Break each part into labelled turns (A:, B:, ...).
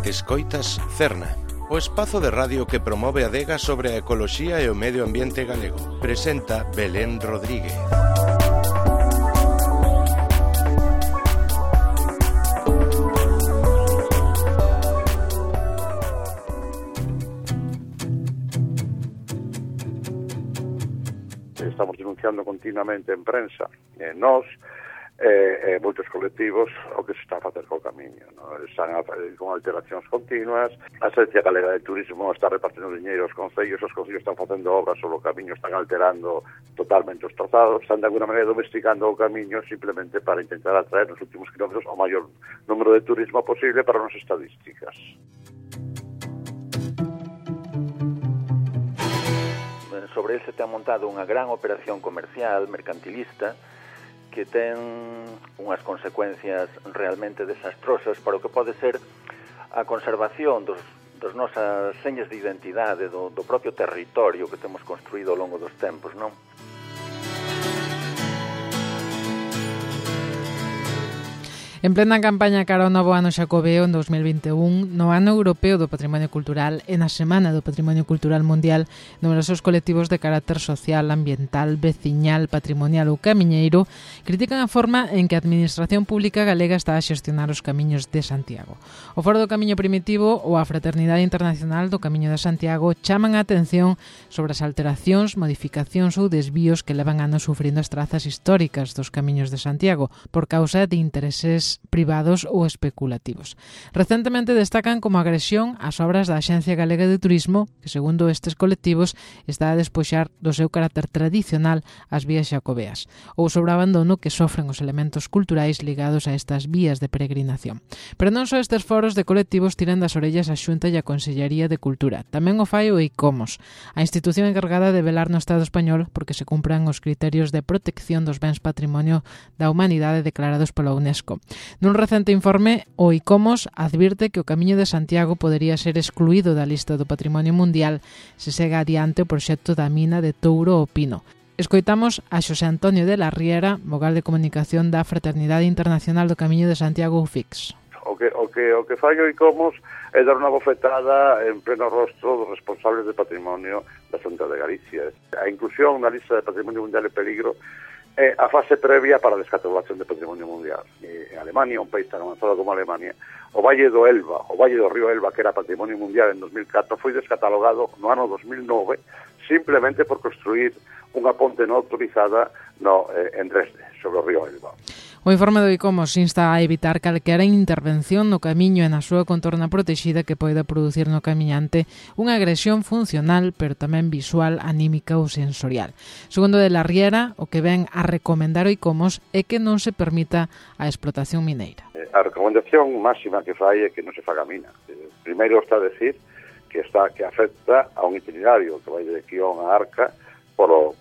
A: Escoitas Cerna, o espazo de radio que promove a adega sobre a ecoloxía e o medio ambiente galego. Presenta Belén Rodríguez.
B: Estamos denunciando continuamente en prensa, nós, moitos colectivos, o que se está a facer co camiño, no? Están con alteracións continuas, a Agencia Galega de Turismo está repartindo diñeiro aos concellos están facendo obras sobre o camiño, están alterando totalmente os trazados, están de alguna maneira domesticando o camiño simplemente para intentar atraer nos últimos kilómetros o maior número de turismo posible para as estadísticas.
C: Sobre el se ten montado unha gran operación comercial, mercantilista, que ten unhas consecuencias realmente desastrosas para o que pode ser a conservación dos nosas señas de identidade, do propio territorio que temos construído ao longo dos tempos, non?
D: En plena campaña cara ao novo ano xacobeo en 2021, no ano europeo do Patrimonio Cultural e na Semana do Patrimonio Cultural Mundial, numerosos colectivos de carácter social, ambiental, veciñal, patrimonial ou camiñeiro critican a forma en que a Administración Pública Galega está a xestionar os camiños de Santiago. O Foro do Camiño Primitivo ou a Fraternidade Internacional do Camiño de Santiago chaman a atención sobre as alteracións, modificacións ou desvíos que levan anos sufrindo as trazas históricas dos camiños de Santiago por causa de intereses privados ou especulativos. Recentemente destacan como agresión as obras da Axencia Galega de Turismo, que segundo estes colectivos está a despoxar do seu carácter tradicional as vías xacobeas, ou sobre o abandono que sofren os elementos culturais ligados a estas vías de peregrinación. Pero non só estes foros de colectivos tiran das orellas a Xunta e a Consellería de Cultura, tamén o fai o ICOMOS, a institución encargada de velar no Estado español porque se cumpran os criterios de protección dos bens patrimonio da humanidade declarados pola UNESCO. Nun recente informe, o ICOMOS advirte que o Camiño de Santiago podería ser excluído da lista do Patrimonio Mundial se segue adiante o proxecto da mina de Touro o Pino. Escoitamos a Xosé Antonio de la Riera, vogal de comunicación da Fraternidade Internacional do Camiño de Santiago UFIX.
B: O que fai o ICOMOS é dar unha bofetada en pleno rostro dos responsables de patrimonio da Xunta de Galicia. A inclusión na lista de Patrimonio Mundial en peligro é a fase previa para a descatalogación de patrimonio mundial. En Alemania, un país tan avanzado como Alemania, o Valle do Elba, o Valle do Río Elba, que era patrimonio mundial en 2004, foi descatalogado no ano 2009 simplemente por construir unha ponte non autorizada en Dresde, sobre o Río Elba.
D: O informe do ICOMOS insta a evitar calquera intervención no camiño e na súa contorna protexida que poida producir no camiñante unha agresión funcional, pero tamén visual, anímica ou sensorial. Segundo de la Riera, o que ven a recomendar o ICOMOS é que non se permita a explotación mineira.
B: A recomendación máxima que fai é que non se faga mina. Primeiro está a decir que afecta a un itinerario que vai de Quión a Arca polo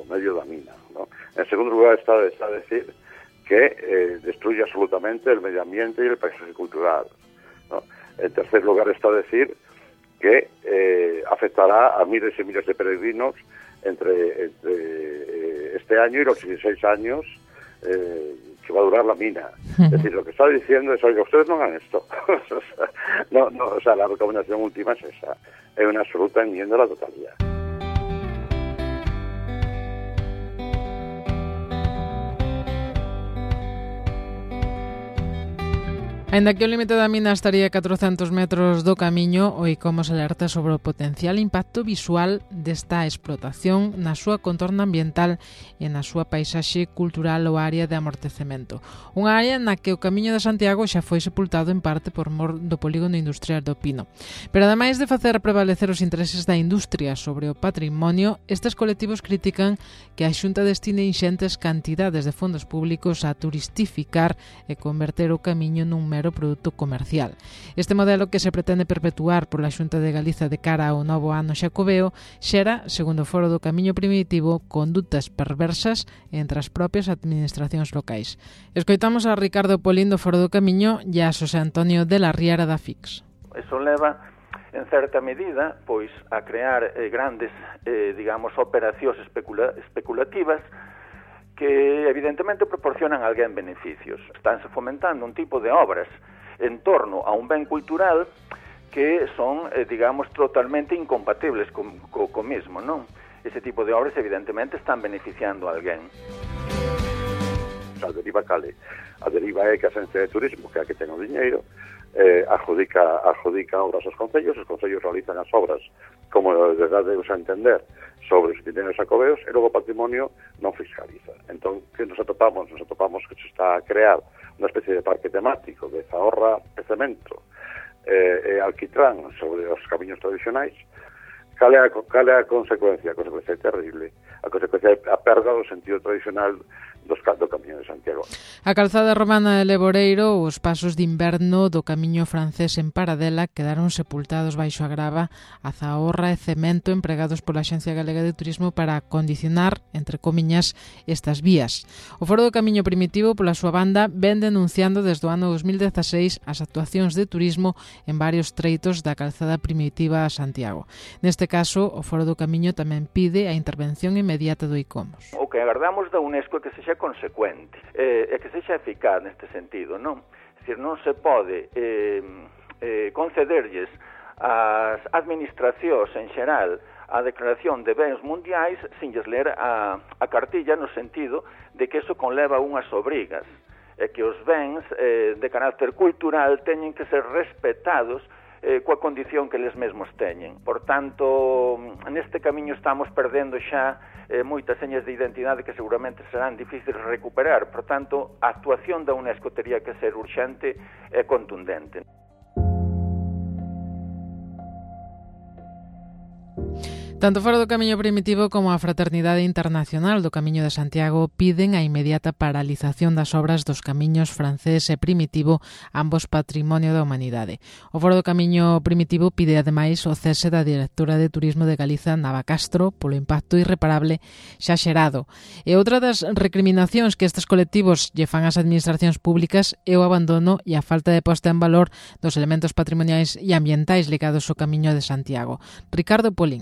B: medio da mina, ¿no? En segundo lugar está a decir que destruye absolutamente el medio ambiente y el paisaje cultural, ¿no? En tercer lugar está a decir que afectará a miles y miles de peregrinos entre este año y los 16 años que va a durar la mina. Es decir, lo que está diciendo es, oiga, ustedes no hagan esto. O sea, la recomendación última es esa. Es una absoluta enmienda a la totalidad.
D: Ainda que o límite da mina estaría a 400 metros do camiño, o ICOMOS alerta sobre o potencial impacto visual desta explotación na súa contorna ambiental e na súa paisaxe cultural ou área de amortecemento. Unha área na que o Camiño de Santiago xa foi sepultado en parte por mor do polígono industrial do Pino. Pero ademais de facer prevalecer os intereses da industria sobre o patrimonio, estes colectivos critican que a Xunta destine inxentes cantidades de fondos públicos a turistificar e converter o camiño nun mero produto comercial. Este modelo que se pretende perpetuar pola Xunta de Galiza de cara ao novo ano xacobeo xera, segundo o Foro do Camiño Primitivo, condutas perversas entre as propias administracións locais. Escoitamos a Ricardo Polín do Foro do Camiño e a Xosé Antonio de la Riera da FIX.
C: Eso leva, en certa medida, pois a crear grandes, operacións especulativas que evidentemente proporcionan a alguén beneficios. Estánse fomentando un tipo de obras en torno a un ben cultural que son, digamos, totalmente incompatibles co mismo, non? Ese tipo de obras, evidentemente, están beneficiando a alguén.
B: A deriva cale? A deriva é que a Xencia de Turismo, que é a que ten o diñeiro, adjudica obras aos concellos realizan as obras, como de darnos a entender, sobre os itinerarios xacobeos, e logo o patrimonio non fiscaliza. Entón, que nos atopamos? Nos atopamos que se está a crear unha especie de parque temático de Zahorra e Cemento, e alquitrán sobre os camiños tradicionais. Cal é a consecuencia? A consecuencia é terrible. A consecuencia é a perda do sentido tradicional do Camiño de Santiago.
D: A calzada romana de Leboreiro, os pasos de inverno do Camiño francés en Paradela quedaron sepultados baixo a grava, a Zahorra e Cemento empregados pola Axencia Galega de Turismo para condicionar, entre comiñas, estas vías. O Foro do Camiño Primitivo, pola súa banda, ven denunciando desde o ano 2016 as actuacións de turismo en varios treitos da calzada primitiva a Santiago. Neste caso, o Foro do Camiño tamén pide a intervención inmediata do ICOMOS.
C: O que agardamos da UNESCO é que sexa consecuente, e que sexa eficaz neste sentido, non? É dicir, non se pode concederlles ás administracións en xeral a declaración de bens mundiais sin lles ler a cartilla, no sentido de que eso conleva unhas obrigas, e que os bens de carácter cultural teñen que ser respetados coa condición que eles mesmos teñen. Por tanto, neste camiño estamos perdendo xa moitas señas de identidade que seguramente serán difíciles de recuperar. Por tanto, a actuación da UNESCO tería que ser urxente e contundente.
D: Tanto o Foro do Camiño Primitivo como a Fraternidade Internacional do Camiño de Santiago piden a inmediata paralización das obras dos camiños francés e primitivo, ambos patrimonio da humanidade. O Foro do Camiño Primitivo pide ademais o cese da directora de Turismo de Galiza, Nava Castro, polo impacto irreparable xa xerado. E outra das recriminacións que estes colectivos lle fan ás administracións públicas é o abandono e a falta de posta en valor dos elementos patrimoniais e ambientais ligados ao Camiño de Santiago. Ricardo Polín.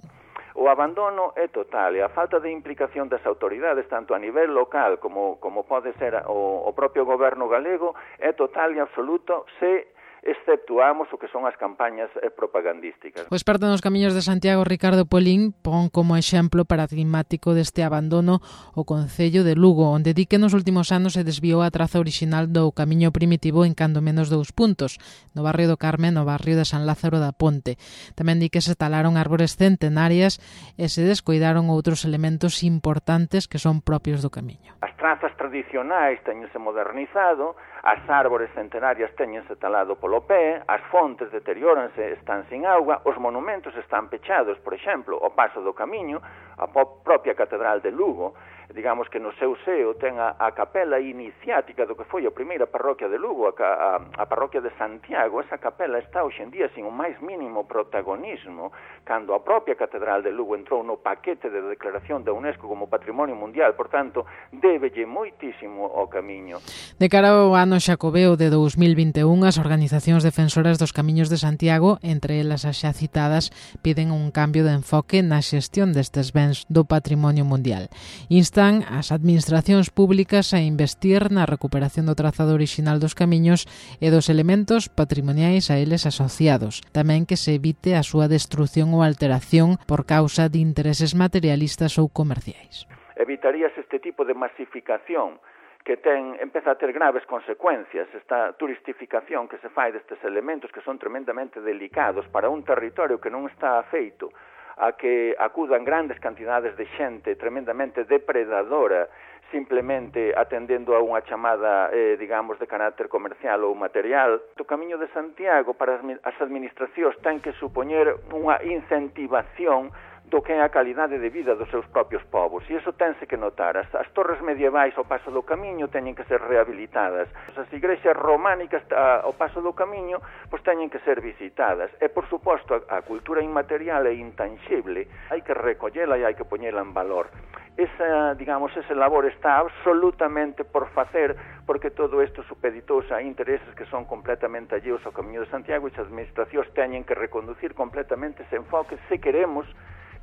C: O abandono é total e a falta de implicación das autoridades, tanto a nivel local como pode ser o propio goberno galego, é total e absoluto se exceptuamos o que son as campañas propagandísticas.
D: O experto nos camiños de Santiago, Ricardo Polín, pon como exemplo paradigmático deste abandono o Concello de Lugo, onde di que nos últimos anos se desviou a traza original do camiño primitivo en cando menos 2 puntos, no barrio do Carme, no barrio de San Lázaro da Ponte. Tamén di que se talaron árbores centenarias e se descoidaron outros elementos importantes que son propios do camiño.
C: As trazas tradicionais teñense modernizado, as árbores centenarias teñense talado polo pé, as fontes deterióranse, están sin auga, os monumentos están pechados, por exemplo, o Paso do Camiño, a propia Catedral de Lugo, digamos que no seu seo ten a capela iniciática do que foi a primeira parroquia de Lugo, a parroquia de Santiago. Esa capela está hoxe en día sin o máis mínimo protagonismo, cando a propia Catedral de Lugo entrou no paquete de declaración da UNESCO como Patrimonio Mundial. Por tanto, débelle moitísimo ao camiño.
D: De cara ao ano xacobeo de 2021, as organizacións defensoras dos camiños de Santiago, entre elas as xa citadas, piden un cambio de enfoque na xestión destes bens do patrimonio mundial. Instan as administracións públicas a investir na recuperación do trazado orixinal dos camiños e dos elementos patrimoniais a eles asociados. Tamén que se evite a súa destrución ou alteración por causa de intereses materialistas ou comerciais.
C: Evitaríase este tipo de masificación que empeza a ter graves consecuencias, esta turistificación que se fai destes elementos que son tremendamente delicados para un territorio que non está afeito a que acudan grandes cantidades de xente tremendamente depredadora, simplemente atendendo a unha chamada, digamos, de carácter comercial ou material. O Camiño de Santiago para as administracións ten que supoñer unha incentivación do que é a calidade de vida dos seus propios povos. E iso tense que notar. As torres medievais ao Paso do Camiño teñen que ser rehabilitadas. As igrexas románicas ao Paso do Camiño pois teñen que ser visitadas. E, por suposto, a cultura inmaterial e intangible hai que recollela e hai que poñela en valor. Ese labor está absolutamente por facer, porque todo isto supeditouse a intereses que son completamente alleos ao Camiño de Santiago e as administracións teñen que reconducir completamente ese enfoque se queremos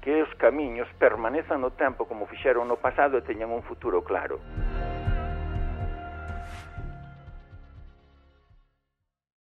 C: que os camiños permanezan no tempo como fixeron no pasado e teñan un futuro claro.